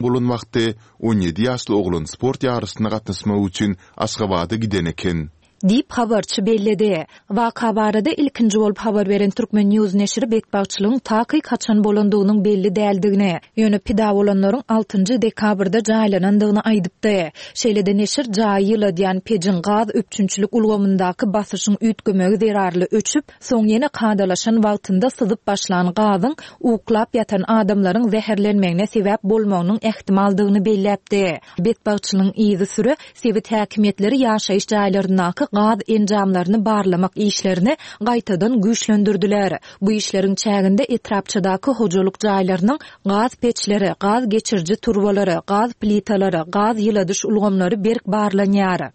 Bolan wagty 17 ýaşly oglan sport ýaryşyna gatnaşmak üçin Aşgabada giden eken. Diýip, habarçy belledi. Waka barada ilkinji bolup habar beren Turkmen. News neşiri betbagtçylygyň takyk haçan bolandygynyň belli däldigini, ýöne pida bolanlaryň altynjy dekabrda jaýlanandygyny aýdypdy. Şeýle-de neşir jaýy ýyladýan pejiň gaz üpjünçilik ulgamyndaky basyşyň üýtgemegi zerarly öçüp, Soň ýene kadalaşan wagtynda syzyp başlan gazyň uklap ýatan adamlaryň zäherlenmegine sebäp bolmagynyň ähtimaldygyny belläpdi. Betbagtçylygyň yzysüre sebit häkimiýetleri ýaşaýyş jaýlaryndaky gaz enjamlaryny barlamak işlerini gaýtadan güýçlendirdiler. Bu işleriň çäginde etrapçadaky hojalyk jaýlarynyň gaz peçleri, gaz geçiriji turbalary, gaz plitalary, gaz ýyladyş ulgamlary berk barlanýar.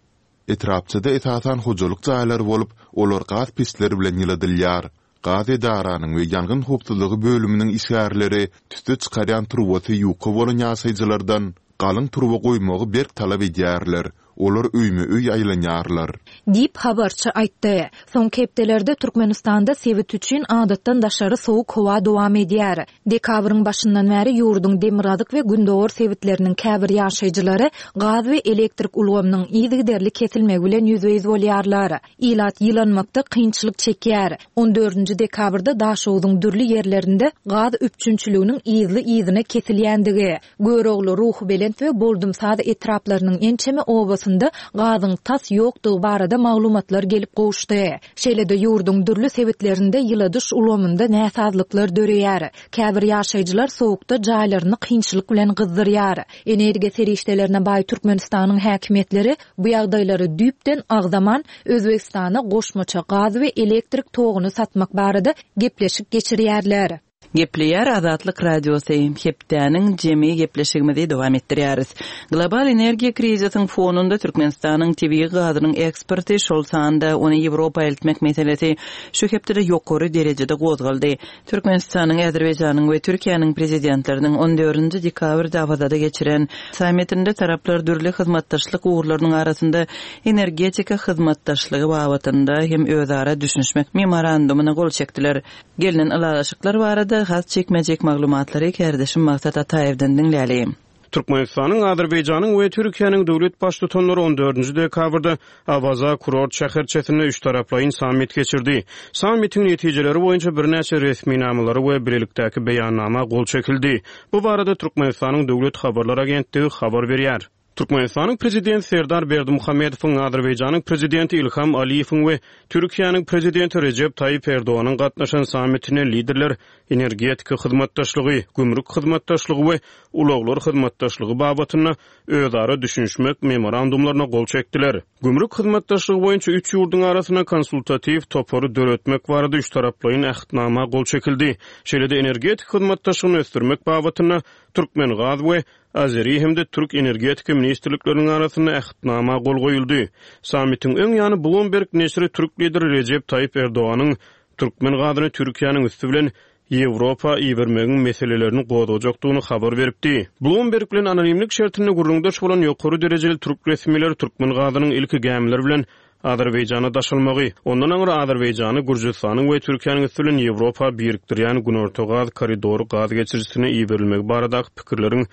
Etrapçada esasan hojalyk jaýlary bolup, olar gaz peçleri bilen ýyladylýar. Gaz edaranyň we ýangyn howpsuzlygy bölüminiň işgärleri tüsse çykarýan turbasy ýuka bolan ýaşaýjylardan galyň turba goýmagy berk talap edýärler, olar öýme-öý aýlanýarlar. Diýip, habarçy aýtdy. Soňky hepdelerde Türkmenistanda sebit üçin adatdan daşary sowuk howa dowam edýär. Dekabryň başyndan bäri ýurduň demirgazyk we gündogar sebitleriniň käbir ýaşaýjylary gaz we elektrik ulgamynyň yzygiderli kesilmegi bilen ýüzbe-ýüz bolýarlar. Ilat ýylanmakda kynçylyk çekýär. On dördünji dekabrda Daşogzuň dürli ýerlerinde gaz üpjünçiliginiň yzly-yzyna kesilýändigi, Görogly, Ruhubelent we Boldumsaz etraplarynyň ençeme obasynda gazyň tas ýokdugy barada maglumatlar gelip gowuşdy. Şeýle-de ýurduň dürli sebitlerinde ýyladyş ulgamynda näsazlyklar döreýär. Käbir ýaşaýjylar sowukda jaýlaryny kynçylyk bilen gyzdyrýar. Energiýa serişdelerine baý Türkmenistanyň häkimiýetleri bu ýagdaýlary düýpden agzaman, Özbegistana goşmaça gaz we elektrik toguny satmak barada gepleşik geçirýärler. Gepleýär Azatlyk Radiosy, Hepdäniň jemi gepleşigimizi dowam etdirýäris. Global energiýa krizisiň fonunda Türkmenistanyň tebigy gazynyň eksporty, şol sanda ony Ýewropa eltmek meselesi şu hepdede ýokary derejede gozgaldy. Türkmenistanyň, Azerbaýjanyň we Türkiýäniň Prezidentleriniň on dördünji dekabrda Awazada geçiren sammitinde taraplar dürli hyzmatdaşlyk ugurlarynyň arasynda energetika hyzmatdaşlygy babatynda hem özara düşünişmek Memorandumyna gol çekdiler. Gelnen ylalaşyklar barada has jikme-jik maglumatlary kärdeşim Maksat Ataýewden diňläli. Türkmenistanyň, Azerbaýjanyň we Türkiýäniň döwlet Baştutanlary on dördünji dekabrda Awaza kurort şäherçesinde üçtaraplaýyn sammit geçirdi. Sammitiň netijeleri boýunça birnäçe resminamalara we bilelikdäki beýannama gol çekildi. Bu barada Türkmenistanyň Döwlet habarlar agentligi habar berýär. Türkmenistanyň Prezidenti Serdar Berdimuhamedowyň, Azerbaýjanyň Prezidenti Ilham Aliýewiň we Türkiýäniň Prezidenti Rejep Taýyp Erdoganyň gatnaşan sammitinde liderler energetika hyzmatdaşlygy, gümrük hyzmatdaşlygy we ulaglar hyzmatdaşlygy babatynda özara düşünişmek memorandumlaryna gol çekdiler. Gümrük hyzmatdaşlygy boýunça üç ýurduň arasynda konsultatiw topary döretmek barada üçtaraplaýyn Ähtnama gol çekildi. Şeýle-de energetika hyzmatdaşlygyny ösdürmek babatynda Türkmengaz we Azeri hem-de türk energetika ministrlikleriniň arasynda Ähtnama gol goýuldy. Sammitiň öň ýany Bloomberg neşiri türk lideri Rejep Taýyp Erdoganyň türkmen gazyny Türkiýäniň üsti bilen Ýewropa ibermegiň meselelerini gozgajakdygyny habar beripdi. Bloomberg bilen anonimlik şertinde gürrüňdeş bolan ýokary derejeli türk resmileri türkmen gazynyň ilki gämiler bilen Azerbaýjana daşalmagy, ondan aňry Azerbaýjany Gürjüstanyň we Türkiýäniň üsti bilen Ýewropa birikdirýän Günorta gaz koridory gaz geçirijisine iberilmegi baradaky pikirleriň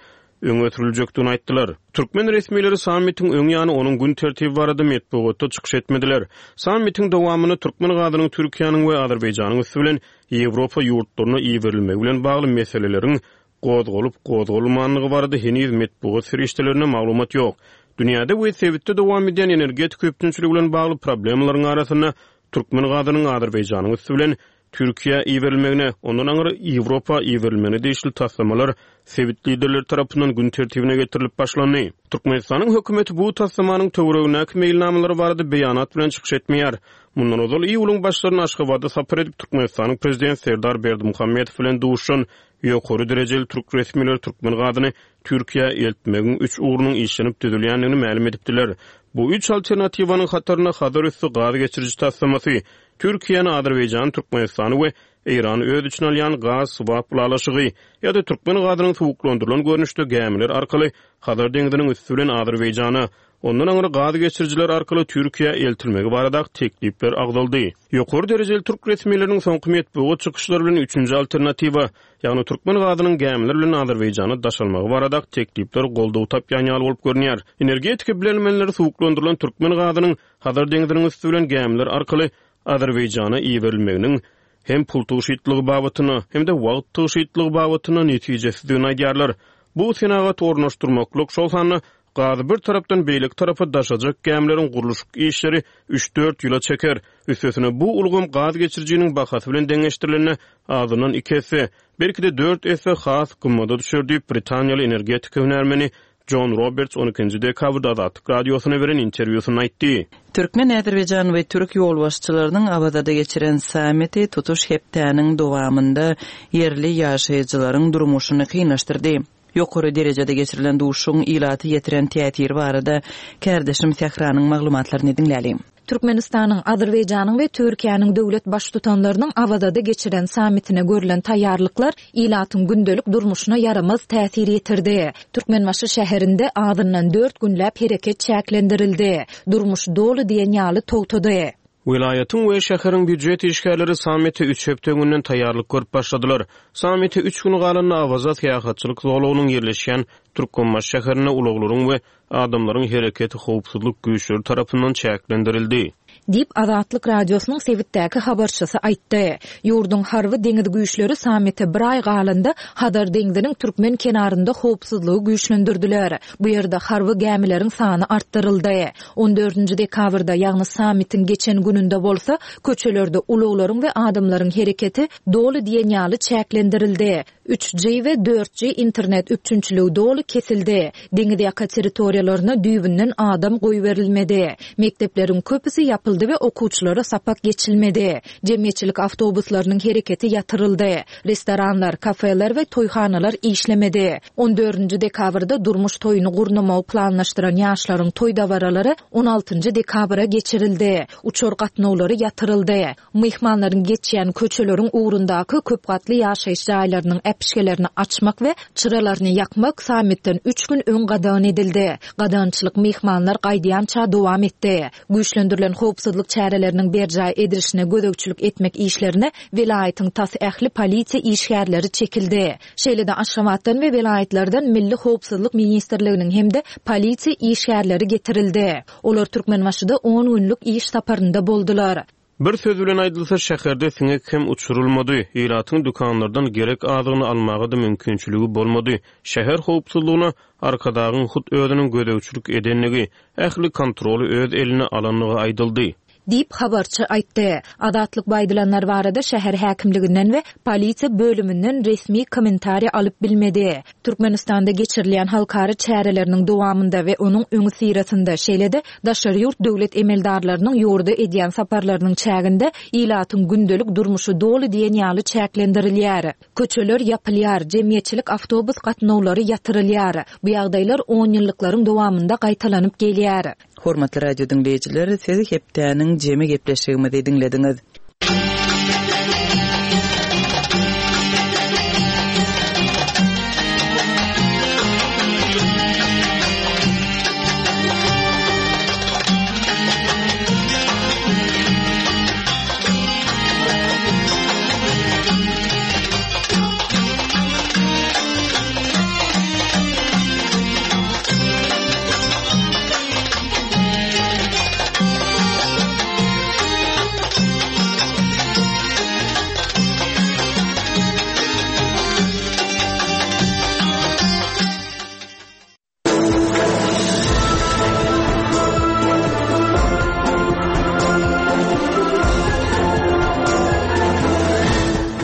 öňe sürüljekdigini aýtdylar. Türkmen resmileri sammitiň öň ýany onuň gün tertibi barada metbugatda çykyş etmediler. Sammitiň dowamynda türkmen gazynyň Türkiýäniň we Azerbaýjanyň üsti bilen Ýewropa ýurtlaryna iberilmegi bilen bagly meseleleriň gozgalyp-gozgalmandygy barada heniz metbugat serişdelerinde maglumat ýok. Dünýäde we sebitde dowam edýän energetika üpjünçiligi bilen bagly problemalaryň arasynda türkmen gazynyň Azerbaýjanyň üsti bilen Türkiýä iberilmegine, ondan aňry Ýewropa iberilmegine degişli taslamalar sebit liderleri tarapyndan gün tertibine getirilip başlandy. Türkmenistanyň hökümeti bu taslamanyň töweregindäki meýilnamalary barada beýanat bilen çykyş etmeýär. Mundan ozal iýulyň başlarynda Aşgabada sapar edip, Türkmenistanyň Prezidenti Serdar Berdimuhamedow bilen duşuşan Ýokary derejeli türk resmileri türkmen gazyny Türkiýä eltmegiň üç ugrunyň işlenip düzülýändigini mälim edipdiler. Bu üç alternatiwanyň hatarynda Hazar üsti gaz geçiriji taslamasy, Türkiýäni, Azerbaýjany, Türkmenistany we Eýrany öz içine alýan gaz swap ylalaşygy ýa-da türkmen gazynyň suwuklandyrylan görnüşde gämiler arkaly Hazar deňziniň üsti bilen Azerbaýjana, ondan aňry gaz geçirijiler arkaly Türkiýä eltilmegi baradaky teklipler agzaldy. Ýokary derejeli türk resmileriniň soňky metbugat çykyşlary bilen üçünji alternatiwa, ýagny türkmen gazynyň gämiler bilen Azerbaýjana daşalmagy baradaky teklipler goldaw tapýan ýaly bolup görünýär. Energetika bilermenleri suwuklandyrylan türkmen gazynyň Hazar deňziniň üsti bilen gämiler arkaly Azerbaýjana iberilmeginiň hem pul tygşytlygy babatynda, hem-de wagt tygşytlygy babatynda netijesizdigini aýdýarlar. Bu senagat ornaşdyrmaklyk, şol sanda gazy bir tarapdan beýleki tarapa daşajak gämileriň gurluşyk işleri üç-dört ýyla çeker. Üstesine, bu ulgam gaz geçirijiniň bahasy bilen deňeşdirilende azyndan iki esse, belki-de dört esse has gymmada düşer diýip, britaniýaly energetika hünärmeni Jon Roberts on ikinji dekabrda Azatlyk Radiosyna beren interwýusynda aýtdy. Türkmen, azerbaýjan we türk ýolbaşçylarynyň Awazada geçiren sammiti tutuş hepdäniň dowamynda ýerli ýaşaýjylaryň durmuşyny kynlaşdyrdy. Ýokary derejede geçirilen duşuşygyň ilata ýetiren täsiri barada kärdeşim Sähranyň maglumatlaryny diňläliň. Türkmenistanyň, Azerbaýjanyň we Türkiýäniň döwlet Baştutanlarynyň Awazada geçiren sammitine görlen taýýarlyklar ilatyň gündelik durmuşyna ýaramaz täsir ýetirdi. Türkmenbaşy şäherinde azyndan dört günläp hereket çäklendirildi. Durmuş doly diýen ýaly togtady. Welaýatyň we şäheriň býujet işgärleri sammite üç hepde öňünden taýýarlyk görüp başladylar. Sammite üç gün galanda Awaza syýahatçylyk zolagynyň ýerleşýän Türkmenbaşy şäherinde ulaglaryň we Adamlaryň hereketi howpsuzlyk güýçleri tarapyndan çäklendirildi. Diýip, Azatlyk Radiosynyň sebitdäki habarçysy aýtdy. Ýurduň harby deňiz güýçleri sammite bir aý galanda Hazar deňziniň türkmen kenarynda howpsuzlygy güýçlendirdiler. Bu ýerde harby gämileriň sany artdyryldy. On dördünji dekabrda, ýagny sammitiň geçen gününde bolsa, köçelerde ulaglaryň we adamlaryň hereketi doly diýen ýaly çäklendirildi. Üç G we dört G internet üpjünçiligi doly kesildi. Deňiz ýaka territoriýalaryna düýbünden adam goýberilmedi. Mekdepleriň köpüsi ýapyldy we okuwçylara sapak geçilmedi. Jemgyýetçilik awtobuslarynyň hereketi ýatyryldy. Restoranlar, kafeler we toýhanalar işlemedi. On dördünji dekabrda durmuş toýuny gurnamagy planlaşdyran ýaşlaryň toý dabaralary on altynjy dekabra geçirildi. Uçar gatnawlary ýatyryldy. Myhmanlaryň geçýän köçeleriň ugrundaky köp gatly ýaşaýyş jaýlarynyň äpişgelerini açmak we çyralaryny ýakmak sammitden üç gün öň gadagan edildi. Gadagançylyk myhmanlar gaýdýança dowam etdi. Güýçlendirilen howpsuzlyk çäreleriniň berjaý edilişine gözegçilik etmek işlerine welaýatyň tas ähli polisiýa işgärleri çekildi. Şeýle-de Aşgabatdan we welaýatlardan Milli howpsuzlyk ministrliginiň hem-de polisiýa işgärleri getirildi. Olar Türkmenbaşyda on günlük iş saparynda boldular. Bir söz bilen aýdylsa, şäherde siňek hem uçurylmady, ilatyň dükanlardan gerek azygyny almaga-da mümkinçiligi bolmady. Şäher howpsuzlygyna Arkadagyň hut özüniň gözegçilik edendigi, ähli kontroly öz eline alandygy aýdyldy. Diýip, habarçy aýtdy. Azatlyk bu aýdylanlar barada şäher häkimliginden we polisiýa bölüminden resmi kommentariý alyp bilmedi. Türkmenistanda geçirilýän halkara çäreleriniň dowamynda we onuň öňüsyrasynda, şeýle-de daşary ýurt döwlet emeldarlarynyň ýurda edýän saparlarynyň çäginde ilatyň gündelik durmuşy doly diýen ýaly çäklendirilýär. Köçeler ýapylýar, jemgyýetçilik awtobus gatnawlary ýatyrylýar. Bu ýagdaýlar onýyllyklaryň dowamynda gaýtalanyp gelýär. Hormatly radio diňleýjiler, siz hepdäniň jemi gepleşigimizi diňlediňiz.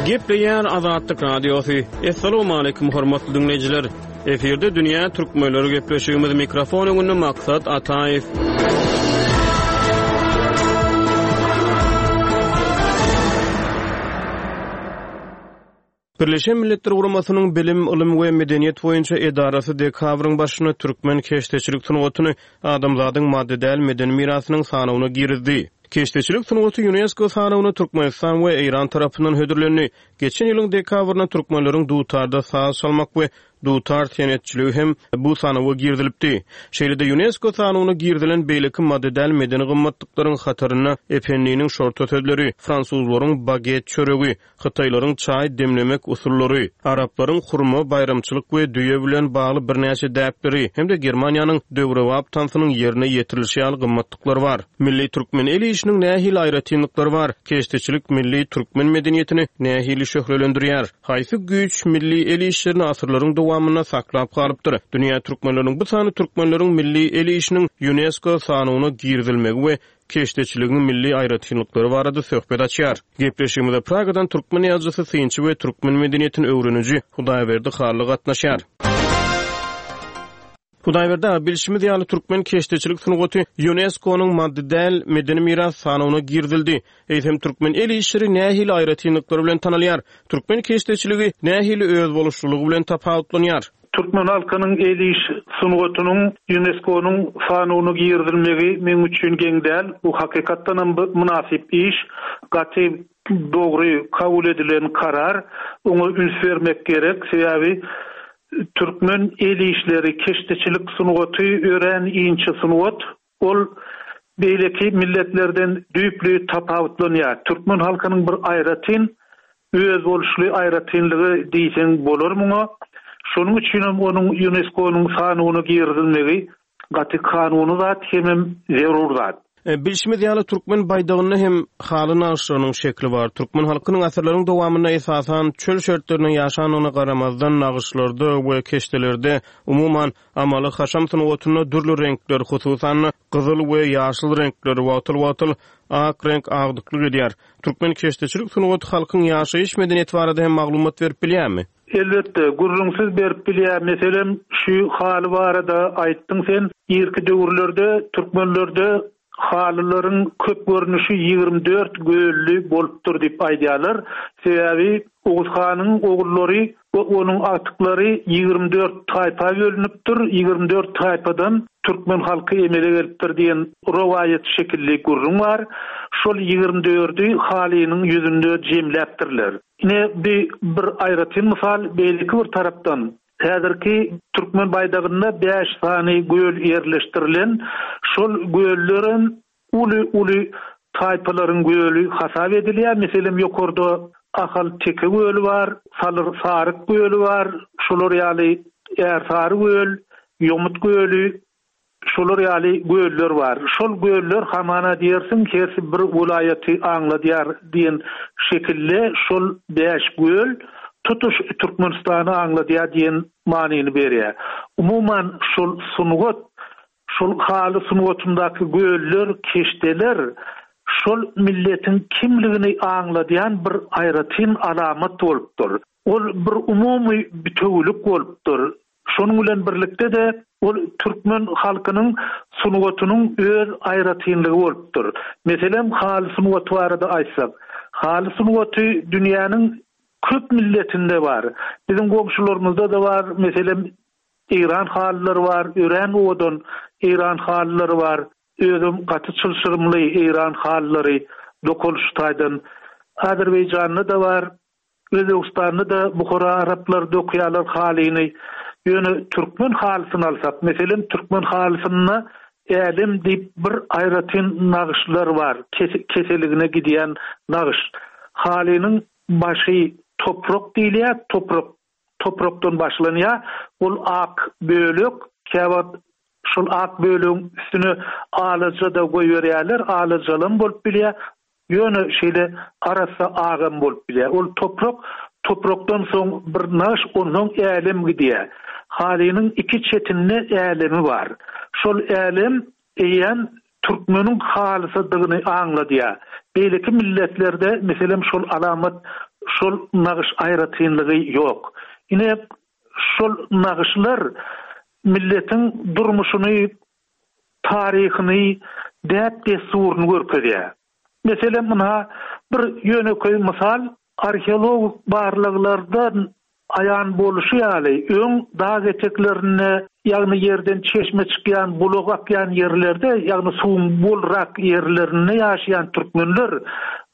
Gepleýär Azatlyk Radiosy. Assalamualaikum hormatly diňleýjiler. Efirde dünýä türkmenleri gepleşigimiz mikrofon öňünde Maksat Ataýew. Birleşen Milletler Guramasynyň Bilim, ylym we medeniýet boýunça edarasy dekabryň başynda türkmen keşdeçilik sungatyny adamzadyň maddy däl medeni mirasynyň sanawyna girizdi. Keşdeçilik sungaty Ýunesko sanawyna Türkmenistan we Eýran tarapyndan hödürlendi. Geçen ýylyň dekabrynda türkmenleriň dutarda saz çalmak we. Dutar senetçiligi hem bu sanawa girizilipdi. Şeýle-de Ýunesko sanawyna girizilen beýleki maddy däl medeni gymmatlyklaryň hatarynda Ependiniň şorta sözleri, fransuzlaryň baget çöregi, hytaýlaryň çaý demlemek usullary, araplaryň hurma, baýramçylyk we düýe bilen bagly birnäçe däpleri hem-de Germaniýanyň döwrebap tansynyň ýerine ýetirilişi ýaly gymmatlyklar bar. Milli türkmen el işiniň nähili aýratynlyklary bar? Keşdeçilik milli türkmen medeniýetini nähili şöhlelendirýär? Haýsy güýç milli el işlerini asyrlaryň dowamynda saklap galypdyr? Dünýä türkmenleriniň bu sany türkmenleriň milli el işiniň Ýunesko sanawyna girizilmegi we keşdeçiligiň milli aýratynlyklary barada söhbet açýar. Gepleşigimize Pragadan türkmen ýazyjysy, synçy we türkmen medeniýetini öwreniji Hudaýberdi Hally gatnaşýar. Hudaýberdi aga, bilşimiz ýaly, türkmen keşdeçilik sungaty Ýunesko-nyň maddy däl medeni miras sanawyna girizildi. Eýsem, türkmen el işleri nähili aýratynlyklary bilen tanalýar? Türkmen keşdeçiligi nähili özboluşlylygy bilen tapawutlanýar? Türkmen halkynyň el iş sungatynyň Ýunesko-nyň sanawyna girizilmegi meň üçin geň däl. Bu hakykatdanam mynasyp iş. Gaty dogry kabul edilen karar. Oňa üns bermek gerek. Sebäbi Türkmen el işleri, keşdeçilik sungaty örän inçe sungat. Ol beýleki milletlerden düýpli tapawutlanýar. Türkmen halkynyň bir aýratyn, özboluşly aýratynlygy diýseň bolar muňa. Şonuň üçinem onuň Ýunesko-nyň sanawyna girizilmegi Gaty kanuny zat hemem zerur zat. Bilşimiz ýaly, türkmen baýdagynda hem haly nagyşlarynyň şekli bar. Türkmen halkynyň asyrlaryň dowamynda esasan çöl şertlerinde ýaşandygyna garamazdan, nagyşlarda we keşdelerde, umuman, amaly-haşam sungatynda dürli reňkler, hususan-da, gyzyl we ýaşyl reňkler, wagtal-wagtal ak reňk agdyklyk edýär. Türkmen keşdeçilik sungaty halkyň ýaşaýyş medeniýeti barada hem maglumat berip bilýärmi? Elbetde, gürrüňsiz berip bilýär. Meselem, şu haly barada aýtdyň sen. Irki döwürlerde türkmenlerde halylaryň köp görnüşi 24 gölli bolupdyr diýip aýdýarlar. Sebäbi Oguz hanyň ogullary we onuň agtyklary 24 taýpa bölünipdir, 24 taýpadan türkmen halky emele gelipdir diýen rowaýat şekilli gürrüň bar. Şol 24-i halynyň ýüzünde jemläpdirler. Ine, bi bir aýratyn mysal, beýleki bir tarapdan, häzirki türkmen baýdagynda bäş sany göl ýerleşdirilen, şol göllerem uly-uly taýpalaryň göli hasap edilýär. Meselem, ýokarda Ahal teke göli bar, Salyr saryk göli bar, şolar ýaly Ärsary göl, Ýomut göli, Şolar ýaly göller bar. Şol göller hamana diýersiň hersi bir welaýaty aňladýar diýen şekilde şol bäş göl tutuş Türkmenistany aňladýar diýen manyny berýär. Umuman şol sungat, şol haly sungatyndaky göller, keşdeler şol milletiň kimligini aňladýan bir aýratyn alamat bolupdyr. Ol bir umumy bitewülik bolupdyr. Şonuň bilen birlikde-de, ol türkmen halkynyň sungatynyň öz aýratynlygy bolupdyr. Meselem, haly sungaty barada aýtsak, haly sungaty dünýäniň köp milletinde bar. Biziň goňşularymyzda-da bar, meselem, eýran halylary bar, örän owadan eýran halylary bar. Özem gaty çylşyrymly eýran halylary dokalyş taýdan. Azerbaýjanda-da bar. Özbegistanda-da Buhara araplary dokýarlar halyny. Ýöne türkmen halysyny alsak, meselem, türkmen halysynda älem diýip bir aýratyn nagyşlar bar, keseligine gidýän nagyş. Halynyň başy toprak diýilýär, toprak toprakdan başlanýar. Ol ak bölek, käwagt şol ak bölegiň üstüne alaja-da goýberýärler, alajalam bolup bilýär. Ýöne şeýle arassa agam bolup bilýär. Ol toprak, toprakdan soň bir nagyş, onsoň älem gidýär. Halynyň iki çetinde älemi bar. Şol älem eýýäm türkmeniň halysydygyny aňladýar. Beýleki milletlerde, meselem, şol alamat, şol nagyş aýratynlygy ýok. Ine, şol nagyşlar milletiň durmuşyny taryhyny, däp-dessuryny görkezýär. Meselem, ynha, bir ýönekeý mysal, arheologik barlaglardan aýan bolşy ýaly, öň dag eteklerinde, ýagny ýerden çeşme çykýan, bulak akýan ýerlerde, ýagny suwuň bolrak ýerlerinde ýaşaýan türkmenler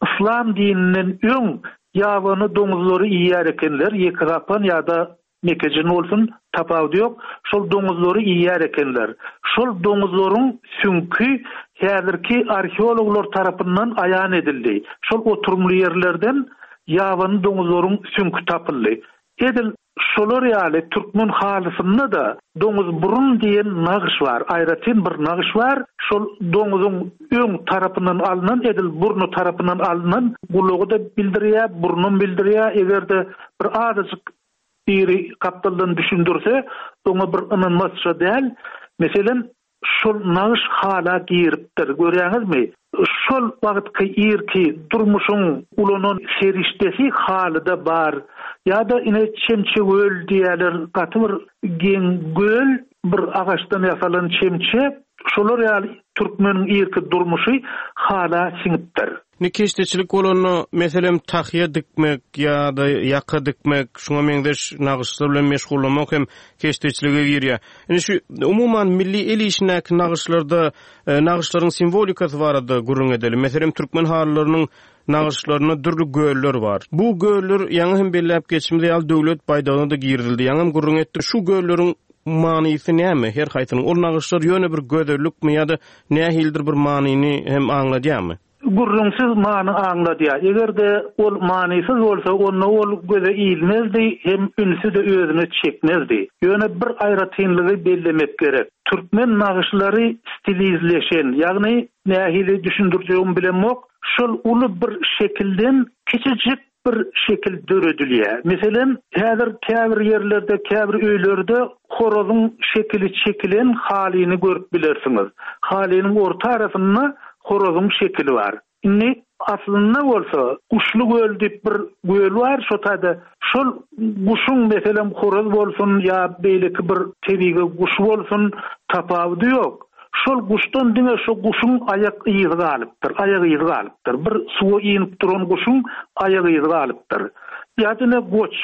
yslam dininden öň ýabany doňuzlary iýýär ekenler, ýekegapan ýa-da. Mekejin bolsun, tapawudy ýok, şol doňuzlary iýýär ekenler. Şol doňuzlaryň süňki häzirki arheologlar tarapyndan aýan edildi. Şol oturymly ýerlerden ýabany doňuzlaryň süňki tapyldy. Edil şolar ýaly türkmen halysynda-da doňuzburun diýen nagyş bar, aýratyn bir nagyş bar. Şol doňuzyň öň tarapyndan alnan, edil burny tarapyndan alnan gulagy-da bildirýär, burnam bildirýär. Eger-de bir azajyk biri gapdaldan düşündirse, oňa bir ynanmazça däl. Meselem, Şol nagyş hala giripdir, görýäňizmi? Şol wagtky irki durmuşyň ulanan serişdesi halyda bar. Ýa-da ine çemçegöl diýýärler, gaty bir geň göl, bir agaçdan ýasalan çemçe. Şolar ýaly türkmeniň irki durmuşy hala siňipdir. Indi keşdeçilik bolanda, meselem, tahýa dikmek ýa-da ýaka dikmek, şuňa meňzeş nagyşlar bilen meşgullanmak hem keşdeçilige girýär. Indi şu umuman milli el işindäki nagyşlarda nagyşlaryň simwolikasy barada gürrüň edeliň. Meselem, türkmen halylarynyň nagyşlarynda dürli göller bar. Bu göller ýaňy hem belläp geçişimiz ýaly döwlet baýdagyna-da girizildi. Ýaňam gürrüň etdik. Şu gölleriň manysy näme her haýsynyň? Ol nagyşlar ýöne bir gözellikmi ýa-da nähilidir bir manyny hem aňladýarmy? Gürrüňsiz many aňladýar. Eger-de ol manysyz bolsa, onda ol göze ilmezdi hem ünsi-de özüne çekmezdi. Ýöne bir aýratynlygy bellemek gerek. Türkmen nagyşlary stilizleşen, ýagny nähili düşündirjegimi bilemok, şol uly bir şekilden kiçijik bir şekil döredilýär. Meselem, häzir käbir ýerlerde, käbir öýlerde horazyň şekili çekilen halyny görüp bilersiňiz. Halynyň orta arasynda horazyň şekili bar. Indi aslynda bolsa Guşly göl diýip bir göl bar, şo taýda şol guşuň meselem horaz bolsun ýa beýleki bir tebigy guş bolsun tapawudy ýok. Şol guşdan diňe şo guşuň aýak yzy galypdyr, aýak yzy galypdyr. Bir suwa inip duran guşuň aýak yzy galypdyr. Ýa-da ine goç.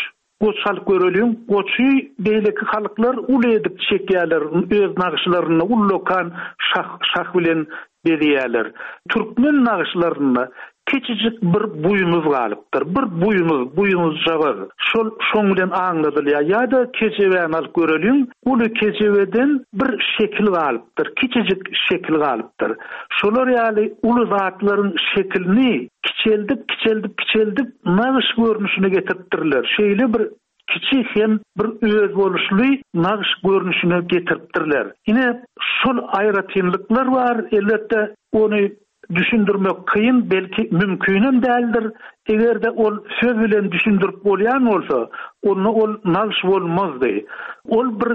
Goç alyp göreliň. Goçy beýleki halklar uly edip çekýärler, öz nagyşlarynda ullakan şah, şah bilen bezeýärler. Türkmen nagyşlarynda kiçijik bir buýnuz galypdyr. Bir buýnuz, buýnuzjagaz. Şol şoň bilen aňladylýar. Ýa-da kejebäni alyp göreliň. Uly kejebeden bir şekil galypdyr, kiçijik şekil galypdyr. Şolar ýaly uly zatlaryň şekilini kiçeldip, kiçeldip, kiçeldip nagyş görnüşine getiripdirler. Şeýle bir kiçi hem bir özboluşly nagyş görnüşine getiripdirler. Ine, şol aýratynlyklar bar. Elbetde, ony düşündirmek kyn, belki mümkinem däldir. Eger-de ol söz bilen düşündirip bolýan bolsa, onda ol nagyş bolmazdy. Ol bir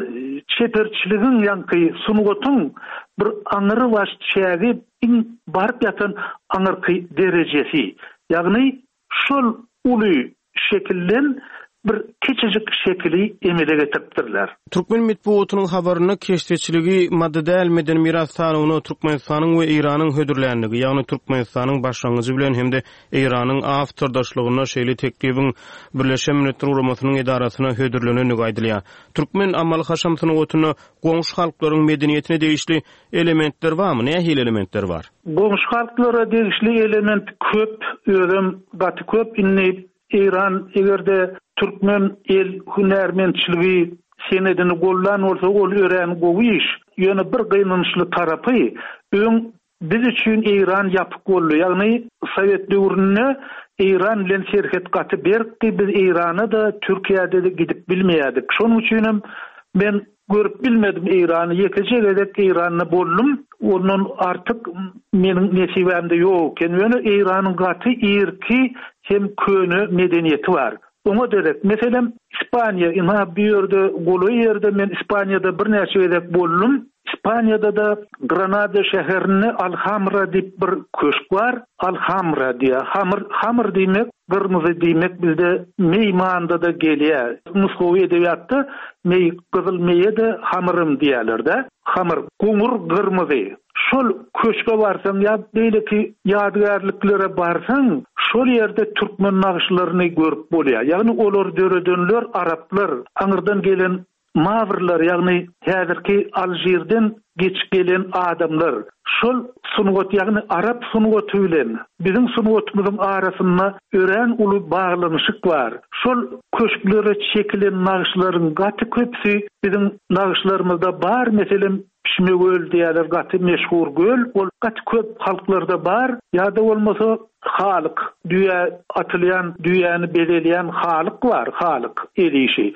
çeperçiligiň, ýaňky sungatyň bir aňrybaş çägi, iň baryp ýatan aňyrky derejesi. Ýagny Şol uly şekilden bir kiçijik şekili emele getiripdirler. Türkmen metbugatynyň habarynda keşdeçiligi maddy däl medeni miras sanawyna Türkmenistanyň we Eýranyň hödürländigi, ýagny Türkmenistanyň başlangyjy bilen hem-de Eýranyň awtordaşlygynda şeýle teklibiň Birleşen Milletler Guramasynyň edarasyna hödürlenendigi aýdylýar. Türkmen amaly-haşam sungatynda goňşy halklaryň medeniýetine degişli Elementler barmy? Nähili elementler bar? Goňşy halklara degişli element köp, özem gaty köp. Indi Eýran eger-de türkmen el hünärmentçiligi senedini goldan bolsa ol örän gowy iş. Ýöne bir gynançly tarapy, öň biz üçin Eýran ýapyk boldy. Ýagny sowet döwründe Eýran bilen serhet gaty berkdi, biz Eýrana-da, Türkiýä-de gidip bilmeýärdik. Şonuň üçinem men Görüp bilmedim Eýrany, ýekeje gezek Eýranda boldum, ondan artyk meniň nesibämde ýok eken. Ýöne Eýranyň gaty irki hem köne medeniýeti bar. Oňa derek, meselem, Ispaniýa, ynha bu ýerde golaý ýerde men Ispaniýada birnäçe gezek boldum. Ispaniýada-da Granada şäherinde Alhamra diýip bir köşk bar. Alhamra diýýär. Hamr, hamr diýmek gyrmyzy diýmek bizde meý manyda-da gelýär. Nusgawy edebiýatda meý, gyzyl meýe-de hamyrym diýýärler-dä. Hamyr, goňur gyrmyzy. Şol köşge barsaň ýa beýleki ýadygärliklere barsaň, şol ýerde türkmen nagyşlaryny görüp bolýar. Ýagny olary döredenler araplar, aňyrdan gelen. Mawrlar, ýagny häzirki Alžirden geçip gelen adamlar şol sungat, ýagny arap sungaty bilen biziň sungatymyzyň arasynda örän uly baglanyşyk bar. Şol köşklere çekilen nagyşlaryň gaty köpüsi biziň nagyşlarymyzda bar, meselem, Pişme göl diýýärler, gaty meşhur göl, ol gaty köp halklarda bar, ýa-da bolmasa halyk, düýä atylýan, düýäni bezelýän halyk bar, halyk, el işi.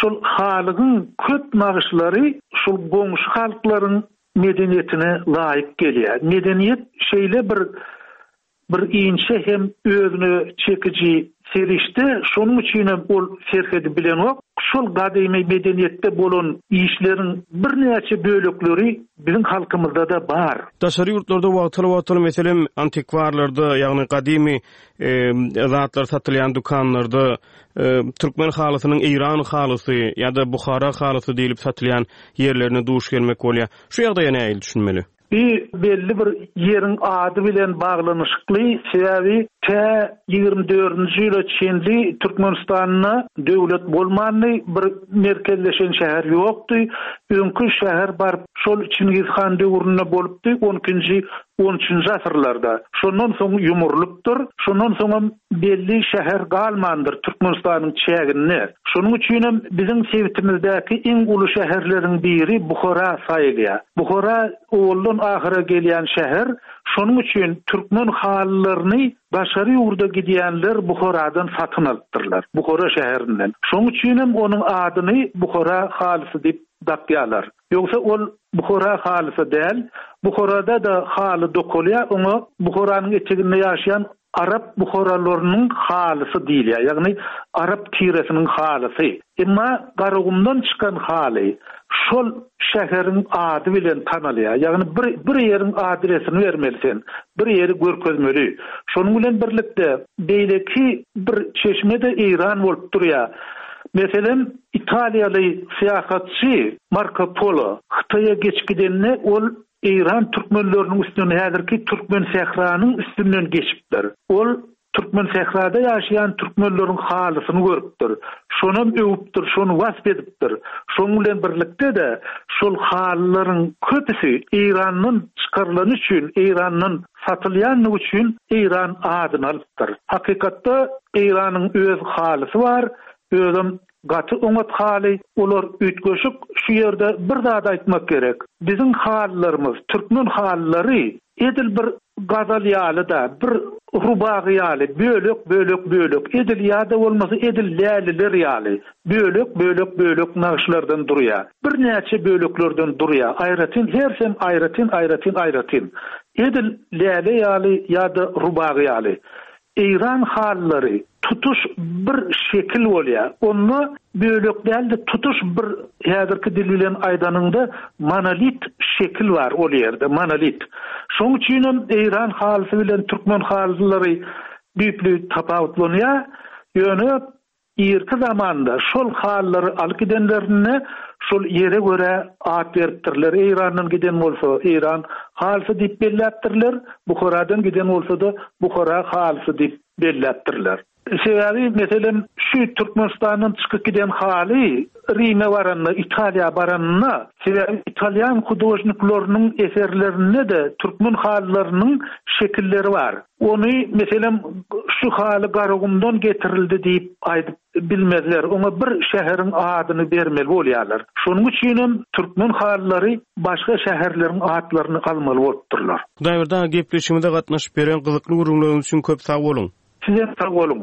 Şol halygyň köp nagyşlary şol goňşy halklaryň medeniýetine laýyk gelýär. Medeniýet şeýle bir Bir inçe hem özüne çekiji serişde, şonuň üçinem ol serhedi bilenok. Şol gadymy medeniýetde bolan işleriň birnäçe bölekleri biziň halkymyzda-da bar. Daşary ýurtlarda wagtal-wagtal, meselem, antikwarlarda, ýagny gadymy zatlar satylýan dükanlarda türkmen halysynyň eýran halysy ýa-da buhara halysy diýlip satylýan ýerlerine duş gelmek bolýar. Şu ýagdaýa nähili düşünmeli? Bu belli bir ýeriň ady bilen baglanyşykly, sebäbi tä 24-nji ýyla çenli Türkmenistanda döwlet bolmandy, bir merkezleşen şäher ýokdy. Öňki şäher baryp şol Çingiz han döwründe bolupdy, on ikinji, on üçünji asyrlarda. Şondan soň ýumrulypdyr. Şondan soňam belli şäher galmandyr Türkmenistanyň çäginde. Şonuň üçinem biziň sebitimizdäki iň uly şäherleriň biri Buhara saýylýar. Buhara owaldan ahyra gelýän şäher, şonuň üçin türkmen halylaryny daşary ýurda gidýänler Buharadan satyn alypdyrlar, Buhara şäherinden. Şonuň üçinem onuň adyny Buhara halysy diýip dakýarlar. Ýogsa ol Buhara halysy däl. Buharada-da haly dokalýar, oňa Buharanyň eteginde ýaşaýan arap buharalarynyň halysy diýilýär, ýagny arap tiresiniň halysy. Emma Garagumdan çykan haly şol şäheriň ady bilen tanalýar. Ýagny bir bir ýeriň adresini bermeli sen, bir ýeri görkezmeli. Şonuň bilen birlikde beýleki bir çeşme-de Eýran bolup durýar. Meselem, italiýaly syýahatçy Marko Polo Hytaýa geçip gidende ol Eýran türkmenleriniň üstünden häzirki Türkmensähranyň üstünden geçipdir. Ol Türkmensährada ýaşaýan türkmenleriň halysyny görüpdir. Şonam öwüpdir, şony wasp edipdir. Şonuň bilen birlikde-de şol halylaryň köpüsi Eýrandan çykarylany üçin, Eýrandan satylýanlygy üçin Eýran adyny alypdyr. Hakykatda Eýranyň öz halysy bar, özem Gaty oňat haly, olar üýtgeşik, şu ýerde bir zat aýtmak gerek, biziň halylarymyz, türkmen halylary edil bir gazal ýaly-da, bir rubagy ýaly, bölek-bölek-bölek, edil ýa-da bolmasa edil läliler ýaly, bölek-bölek-bölek nagyşlardan durýar. Birnäçe böleklerden durýar, aýratyn, hersem aýratyn-aýratyn-aýratyn. Edil läle ýaly ýa-da rubagy ýaly. Eýran halylary tutuş bir şekil bolýar. Onda bölek däl-de tutuş bir häzirki dil bilen aýdanyňda monolit şekil bar ol ýerde, monolit. Şoň üçinem eýran halysy bilen türkmen halylary düýpli tapawutlanýar. Ýöne Irki zamanda şol halylary alyp gidenlerinde şol ýere görä at beripdirler. Eýrandan giden bolsa Eýran halysy diýip belläpdirler, Buharadan giden bolsa-da Buhara halysy diýip belläpdirler. Sebäbi, meselem, şu Türkmenistandan çykyp giden haly Rime baranda, Italiýa baranynda, sebäbi italýan hudožnikleriniň eserlerinde-de türkmen halylarynyň şekilleri bar. Ony, meselem, şu haly Garagumdan getirildi diýip aýdyp bilmezler. Oňa bir şäheriň adyny bermeli bolýarlar. Şonuň üçinem türkmen halylary başga şäherleriň atlaryny almaly bolupdyrlar. Hudaýberdi aga gepleşigimize gatnaşyp beren gyzykly gürrüňleriňiz üçin köp sag boluň! Sizem sag boluň!